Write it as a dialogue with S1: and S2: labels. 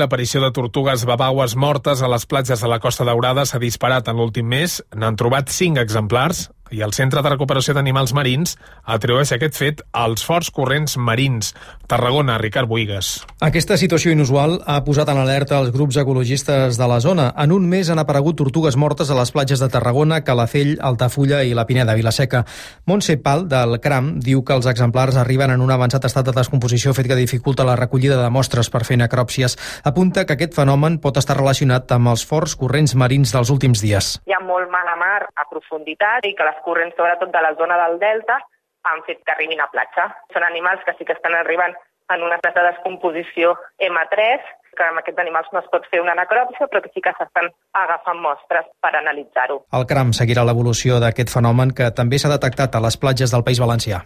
S1: L'aparició de tortugues babaues mortes a les platges de la Costa Daurada s'ha disparat en l'últim mes. N'han trobat 5 exemplars i el Centre de Recuperació d'Animals Marins atribueix aquest fet als forts corrents marins. Tarragona, Ricard Bohigas.
S2: Aquesta situació inusual ha posat en alerta els grups ecologistes de la zona. En un mes han aparegut tortugues mortes a les platges de Tarragona, Calafell, Altafulla i la Pineda, Vilaseca. Montse Pal, del CRAM, diu que els exemplars arriben en un avançat estat de descomposició, fet que dificulta la recollida de mostres per fer necròpsies. Apunta que aquest fenomen pot estar relacionat amb els forts corrents marins dels últims dies.
S3: Hi ha molt mala mar a profunditat i que les corrents, sobretot de la zona del delta, han fet que arribin a platja. Són animals que sí que estan arribant en una estat de descomposició M3, que amb aquests animals no es pot fer una necròpsia, però que sí que s'estan agafant mostres per analitzar-ho.
S2: El CRAM seguirà l'evolució d'aquest fenomen que també s'ha detectat a les platges del País Valencià.